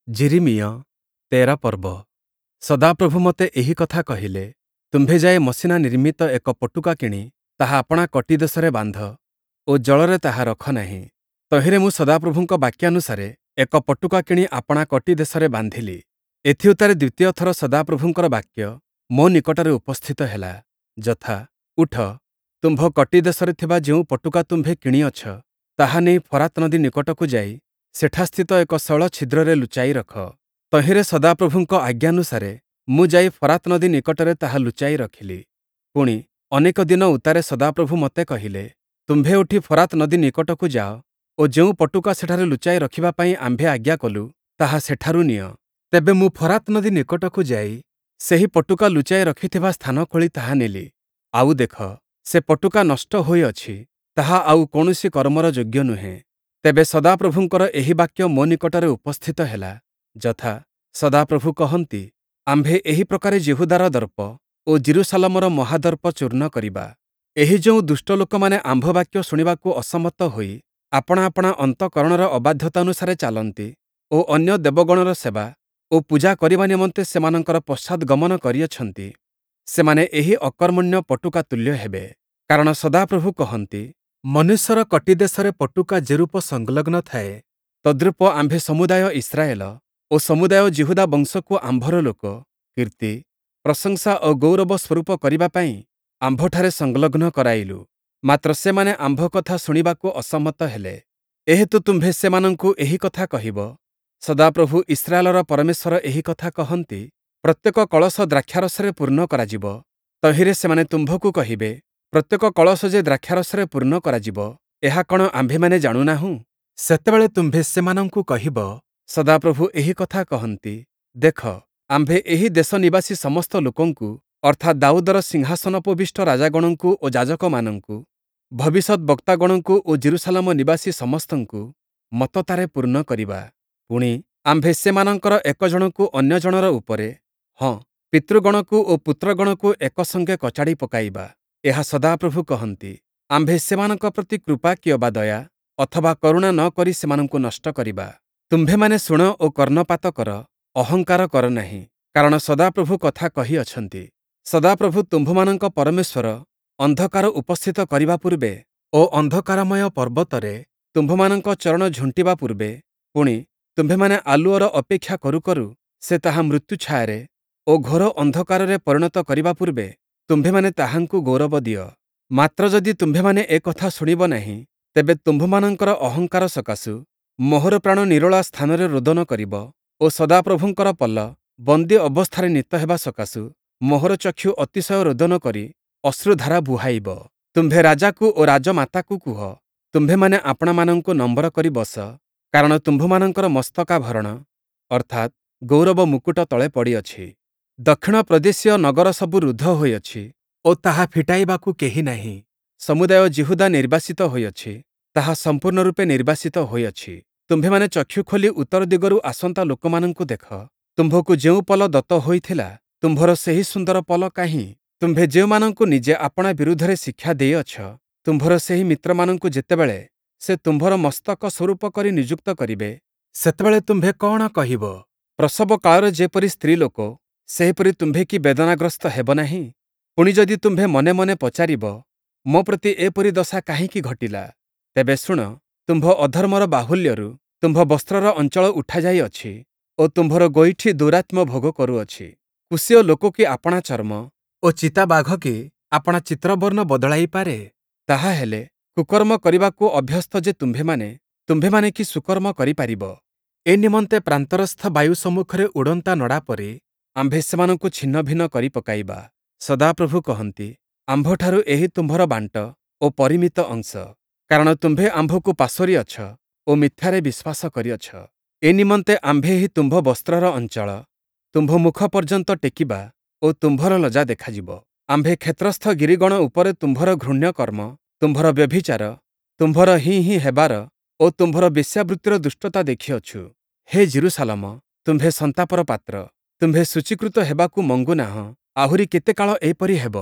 ଯିରିମିୟ ତେର ପର୍ବ। ସଦାପ୍ରଭୁ ମୋତେ ଏହି କଥା କହିଲେ, ତୁମ୍ଭେ ଯାଇ ମସିଣା ନିର୍ମିତ ଏକ ପଟୁକା କିଣି ତାହା ଆପଣା କଟିଦେଶରେ ବାନ୍ଧ ଓ ଜଳରେ ତାହା ରଖ ନାହିଁ। ତହିଁରେ ମୁଁ ସଦାପ୍ରଭୁଙ୍କ ବାକ୍ୟାନୁସାରେ ଏକ ପଟୁକା କିଣି ଆପଣା କଟିଦେଶରେ ବାନ୍ଧିଲି। ଏଥିଉତ୍ତାରେ ଦ୍ୱିତୀୟ ଥର ସଦାପ୍ରଭୁଙ୍କର ବାକ୍ୟ ମୋ ନିକଟରେ ଉପସ୍ଥିତ ହେଲା, ଯଥା, ଉଠ, ତୁମ୍ଭ କଟିଦେଶରେ ଥିବା ଯେଉଁ ପଟୁକା ତୁମ୍ଭେ କିଣିଅଛ, ତାହା ନେଇ ଫରାତ୍ ନଦୀ ନିକଟକୁ ଯାଇ ସେଠାସ୍ଥିତ ଏକ ଶୈଳ ଛିଦ୍ରରେ ଲୁଚାଇ ରଖ। ତହିଁରେ ସଦାପ୍ରଭୁଙ୍କ ଆଜ୍ଞାନୁସାରେ ମୁଁ ଯାଇ ଫରାତ୍ ନଦୀ ନିକଟରେ ତାହା ଲୁଚାଇ ରଖିଲି। ପୁଣି, ଅନେକ ଦିନ ଉତ୍ତାରେ ସଦାପ୍ରଭୁ ମୋତେ କହିଲେ, ତୁମ୍ଭେ ଉଠି ଫରାତ୍ ନଦୀ ନିକଟକୁ ଯାଅ ଓ ଯେଉଁ ପଟୁକା ସେଠାରେ ଲୁଚାଇ ରଖିବା ପାଇଁ ଆମ୍ଭେ ଆଜ୍ଞା କଲୁ, ତାହା ସେଠାରୁ ନିଅ। ତେବେ ମୁଁ ଫରାତ୍ ନଦୀ ନିକଟକୁ ଯାଇ ସେହି ପଟୁକା ଲୁଚାଇ ରଖିଥିବା ସ୍ଥାନ ଖୋଳି ତାହା ନେଲି। ଆଉ ଦେଖ, ସେ ପଟୁକା ନଷ୍ଟ ହୋଇଅଛି, ତାହା ଆଉ କୌଣସି କର୍ମର ଯୋଗ୍ୟ ନୁହେଁ। ତେବେ ସଦାପ୍ରଭୁଙ୍କର ଏହି ବାକ୍ୟ ମୋ ନିକଟରେ ଉପସ୍ଥିତ ହେଲା, ଯଥା, ସଦାପ୍ରଭୁ କହନ୍ତି, ଆମ୍ଭେ ଏହି ପ୍ରକାରେ ଯିହୁଦାର ଦର୍ପ ଓ ଯିରୂଶାଲମର ମହାଦର୍ପ ଚୂର୍ଣ୍ଣ କରିବା। ଏହି ଯେଉଁ ଦୁଷ୍ଟ ଲୋକମାନେ ଆମ୍ଭ ବାକ୍ୟ ଶୁଣିବାକୁ ଅସମ୍ମତ ହୋଇ ଆପଣା ଆପଣା ଅନ୍ତଃକରଣର ଅବାଧ୍ୟତାନୁସାରେ ଚାଲନ୍ତି ଓ ଅନ୍ୟ ଦେବଗଣର ସେବା ଓ ପୂଜା କରିବା ନିମନ୍ତେ ସେମାନଙ୍କର ପଶ୍ଚାଦ୍‌ଗମନ କରିଅଛନ୍ତି, ସେମାନେ ଏହି ଅକର୍ମଣ୍ୟ ପଟୁକା ତୁଲ୍ୟ ହେବେ। କାରଣ ସଦାପ୍ରଭୁ କହନ୍ତି, ମନୁଷ୍ୟର କଟିଦେଶରେ ପଟୁକା ଯେରୂପ ସଂଲଗ୍ନ ଥାଏ, ତଦ୍ରୂପ ଆମ୍ଭେ ସମୁଦାୟ ଇସ୍ରାଏଲ ଓ ସମୁଦାୟ ଯିହୁଦା ବଂଶକୁ ଆମ୍ଭର ଲୋକ, କୀର୍ତ୍ତି, ପ୍ରଶଂସା ଓ ଗୌରବ ସ୍ୱରୂପ କରିବା ପାଇଁ ଆମ୍ଭଠାରେ ସଂଲଗ୍ନ କରାଇଲୁ। ମାତ୍ର ସେମାନେ ଆମ୍ଭ କଥା ଶୁଣିବାକୁ ଅସମ୍ମତ ହେଲେ। ଏହେତୁ ତୁମ୍ଭେ ସେମାନଙ୍କୁ ଏହି କଥା କହିବ, ସଦାପ୍ରଭୁ ଇସ୍ରାଏଲର ପରମେଶ୍ୱର ଏହି କଥା କହନ୍ତି, ପ୍ରତ୍ୟେକ କଳସ ଦ୍ରାକ୍ଷାରସରେ ପୂର୍ଣ୍ଣ କରାଯିବ। ତହିଁରେ ସେମାନେ ତୁମ୍ଭକୁ କହିବେ, ପ୍ରତ୍ୟେକ କଳସ ଯେ ଦ୍ରାକ୍ଷାରସରେ ପୂର୍ଣ୍ଣ କରାଯିବ, ଏହା କଣ ଆମ୍ଭେମାନେ ଜାଣୁ ନାହୁଁ? ସେତେବେଳେ ତୁମ୍ଭେ ସେମାନଙ୍କୁ କହିବ, ସଦାପ୍ରଭୁ ଏହି କଥା କହନ୍ତି, ଦେଖ, ଆମ୍ଭେ ଏହି ଦେଶ ନିବାସୀ ସମସ୍ତ ଲୋକଙ୍କୁ, ଅର୍ଥାତ୍ ଦାଉଦର ସିଂହାସନୋପବିଷ୍ଟ ରାଜାଗଣଙ୍କୁ ଓ ଯାଜକମାନଙ୍କୁ, ଭବିଷ୍ୟଦ୍‌ବକ୍ତାଗଣଙ୍କୁ ଓ ଯିରୂଶାଲମ ନିବାସୀ ସମସ୍ତଙ୍କୁ ମତ୍ତତାରେ ପୂର୍ଣ୍ଣ କରିବା। ପୁଣି, ଆମ୍ଭେ ସେମାନଙ୍କର ଏକ ଜଣକୁ ଅନ୍ୟ ଜଣର ଉପରେ, ହଁ, ପିତୃଗଣକୁ ଓ ପୁତ୍ରଗଣକୁ ଏକ ସଙ୍ଗେ କଚାଡ଼ି ପକାଇବା। ଏହା ସଦାପ୍ରଭୁ କହନ୍ତି। ଆମ୍ଭେ ସେମାନଙ୍କ ପ୍ରତି କୃପା କିଅବା ଦୟା ଅଥବା କରୁଣା ନ କରି ସେମାନଙ୍କୁ ନଷ୍ଟ କରିବା। ତୁମ୍ଭେମାନେ ଶୁଣ ଓ କର୍ଣ୍ଣପାତ କର, ଅହଙ୍କାର କର ନାହିଁ, କାରଣ ସଦାପ୍ରଭୁ କଥା କହିଅଛନ୍ତି। ସଦାପ୍ରଭୁ ତୁମ୍ଭମାନଙ୍କ ପରମେଶ୍ୱର ଅନ୍ଧକାର ଉପସ୍ଥିତ କରିବା ପୂର୍ବେ ଓ ଅନ୍ଧକାରମୟ ପର୍ବତରେ ତୁମ୍ଭମାନଙ୍କ ଚରଣ ଝୁଣ୍ଟିବା ପୂର୍ବେ, ପୁଣି, ତୁମ୍ଭେମାନେ ଆଲୁଅର ଅପେକ୍ଷା କରୁ କରୁ ସେ ତାହା ମୃତ୍ୟୁଛାୟାରେ ଓ ଘୋର ଅନ୍ଧକାରରେ ପରିଣତ କରିବା ପୂର୍ବେ ତୁମ୍ଭେମାନେ ତାହାଙ୍କୁ ଗୌରବ ଦିଅ। ମାତ୍ର ଯଦି ତୁମ୍ଭେମାନେ ଏ କଥା ଶୁଣିବ ନାହିଁ, ତେବେ ତୁମ୍ଭମାନଙ୍କର ଅହଙ୍କାର ସକାଶୁ ମୋହର ପ୍ରାଣ ନିରୋଳା ସ୍ଥାନରେ ରୋଦନ କରିବ ଓ ସଦାପ୍ରଭୁଙ୍କର ପଲ ବନ୍ଦୀ ଅବସ୍ଥାରେ ନୀତ ହେବା ସକାଶୁ ମୋହର ଚକ୍ଷୁ ଅତିଶୟ ରୋଦନ କରି ଅଶ୍ରୁଧାରା ବୁହାଇବ। ତୁମ୍ଭେ ରାଜାକୁ ଓ ରାଜମାତାକୁ କୁହ, ତୁମ୍ଭେମାନେ ଆପଣାମାନଙ୍କୁ ନମ୍ର କରି ବସ, କାରଣ ତୁମ୍ଭମାନଙ୍କର ମସ୍ତକାଭରଣ, ଅର୍ଥାତ୍ ଗୌରବ ମୁକୁଟ ତଳେ ପଡ଼ିଅଛି। ଦକ୍ଷିଣ ପ୍ରଦେଶୀୟ ନଗର ସବୁ ରୁଦ୍ଧ ହୋଇଅଛି ଓ ତାହା ଫିଟାଇବାକୁ କେହି ନାହିଁ। ସମୁଦାୟ ଯିହୁଦା ନିର୍ବାସିତ ହୋଇଅଛି, ତାହା ସମ୍ପୂର୍ଣ୍ଣ ରୂପେ ନିର୍ବାସିତ ହୋଇଅଛି। ତୁମ୍ଭେମାନେ ଚକ୍ଷୁ ଖୋଲି ଉତ୍ତର ଦିଗରୁ ଆସନ୍ତା ଲୋକମାନଙ୍କୁ ଦେଖ। ତୁମ୍ଭକୁ ଯେଉଁ ପଲ ଦତ୍ତ ହୋଇଥିଲା, ତୁମ୍ଭର ସେହି ସୁନ୍ଦର ପଲ କାହିଁ? ତୁମ୍ଭେ ଯେଉଁମାନଙ୍କୁ ନିଜେ ଆପଣା ବିରୁଦ୍ଧରେ ଶିକ୍ଷା ଦେଇଅଛ, ତୁମ୍ଭର ସେହି ମିତ୍ରମାନଙ୍କୁ ଯେତେବେଳେ ସେ ତୁମ୍ଭର ମସ୍ତକ ସ୍ୱରୂପ କରି ନିଯୁକ୍ତ କରିବେ, ସେତେବେଳେ ତୁମ୍ଭେ କଅଣ କହିବ? ପ୍ରସବ କାଳରେ ଯେପରି ସ୍ତ୍ରୀଲୋକ, ସେହିପରି ତୁମ୍ଭେ କି ବେଦନାଗ୍ରସ୍ତ ହେବ ନାହିଁ? ପୁଣି ଯଦି ତୁମ୍ଭେ ମନେ ମନେ ପଚାରିବ, ମୋ ପ୍ରତି ଏପରି ଦଶା କାହିଁକି ଘଟିଲା? ତେବେ ଶୁଣ, ତୁମ୍ଭ ଅଧର୍ମର ବାହୁଲ୍ୟରୁ ତୁମ୍ଭ ବସ୍ତ୍ରର ଅଞ୍ଚଳ ଉଠାଯାଇଅଛି ଓ ତୁମ୍ଭର ଗୋଇଠି ଦୌରାତ୍ମ୍ୟ ଭୋଗ କରୁଅଛି। କୂଶୀୟ ଲୋକ କି ଆପଣା ଚର୍ମ ଓ ଚିତାବାଘ କି ଆପଣା ଚିତ୍ରବର୍ଣ୍ଣ ବଦଳାଇପାରେ? ତାହାହେଲେ କୁକର୍ମ କରିବାକୁ ଅଭ୍ୟସ୍ତ ଯେ ତୁମ୍ଭେମାନେ, ତୁମ୍ଭେମାନେ କି ସୁକର୍ମ କରିପାରିବ? ଏ ନିମନ୍ତେ ପ୍ରାନ୍ତରସ୍ଥ ବାୟୁ ସମ୍ମୁଖରେ ଉଡ଼ନ୍ତା ନଡ଼ା ପରି ଆମ୍ଭେ ସେମାନଙ୍କୁ ଛିନ୍ନଭିନ୍ନ କରି ପକାଇବା। ସଦାପ୍ରଭୁ କହନ୍ତି, ଆମ୍ଭଠାରୁ ଏହି ତୁମ୍ଭର ବାଣ୍ଟ ଓ ପରିମିତ ଅଂଶ, କାରଣ ତୁମ୍ଭେ ଆମ୍ଭକୁ ପାସୋରିଅଛ ଓ ମିଥ୍ୟାରେ ବିଶ୍ୱାସ କରିଅଛ। ଏ ନିମନ୍ତେ ଆମ୍ଭେ ଏହି ତୁମ୍ଭ ବସ୍ତ୍ରର ଅଞ୍ଚଳ ତୁମ୍ଭ ମୁଖ ପର୍ଯ୍ୟନ୍ତ ଟେକିବା ଓ ତୁମ୍ଭର ଲଜ୍ଜା ଦେଖାଯିବ। ଆମ୍ଭେ କ୍ଷେତ୍ରସ୍ଥ ଗିରିଗଣ ଉପରେ ତୁମ୍ଭର ଘୃଣ୍ୟ କର୍ମ, ତୁମ୍ଭର ବ୍ୟଭିଚାର, ତୁମ୍ଭର ହିଁ ହିଁ ହେବାର ଓ ତୁମ୍ଭର ବେଶ୍ୟାବୃତ୍ତିର ଦୁଷ୍ଟତା ଦେଖିଅଛୁ। ହେ ଯିରୂଶାଲମ, ତୁମ୍ଭେ ସନ୍ତାପର ପାତ୍ର, ତୁମ୍ଭେ ଶୁଚୀକୃତ ହେବାକୁ ମଙ୍ଗୁ ନାହଁ, ଆହୁରି କେତେ କାଳ ଏପରି ହେବ?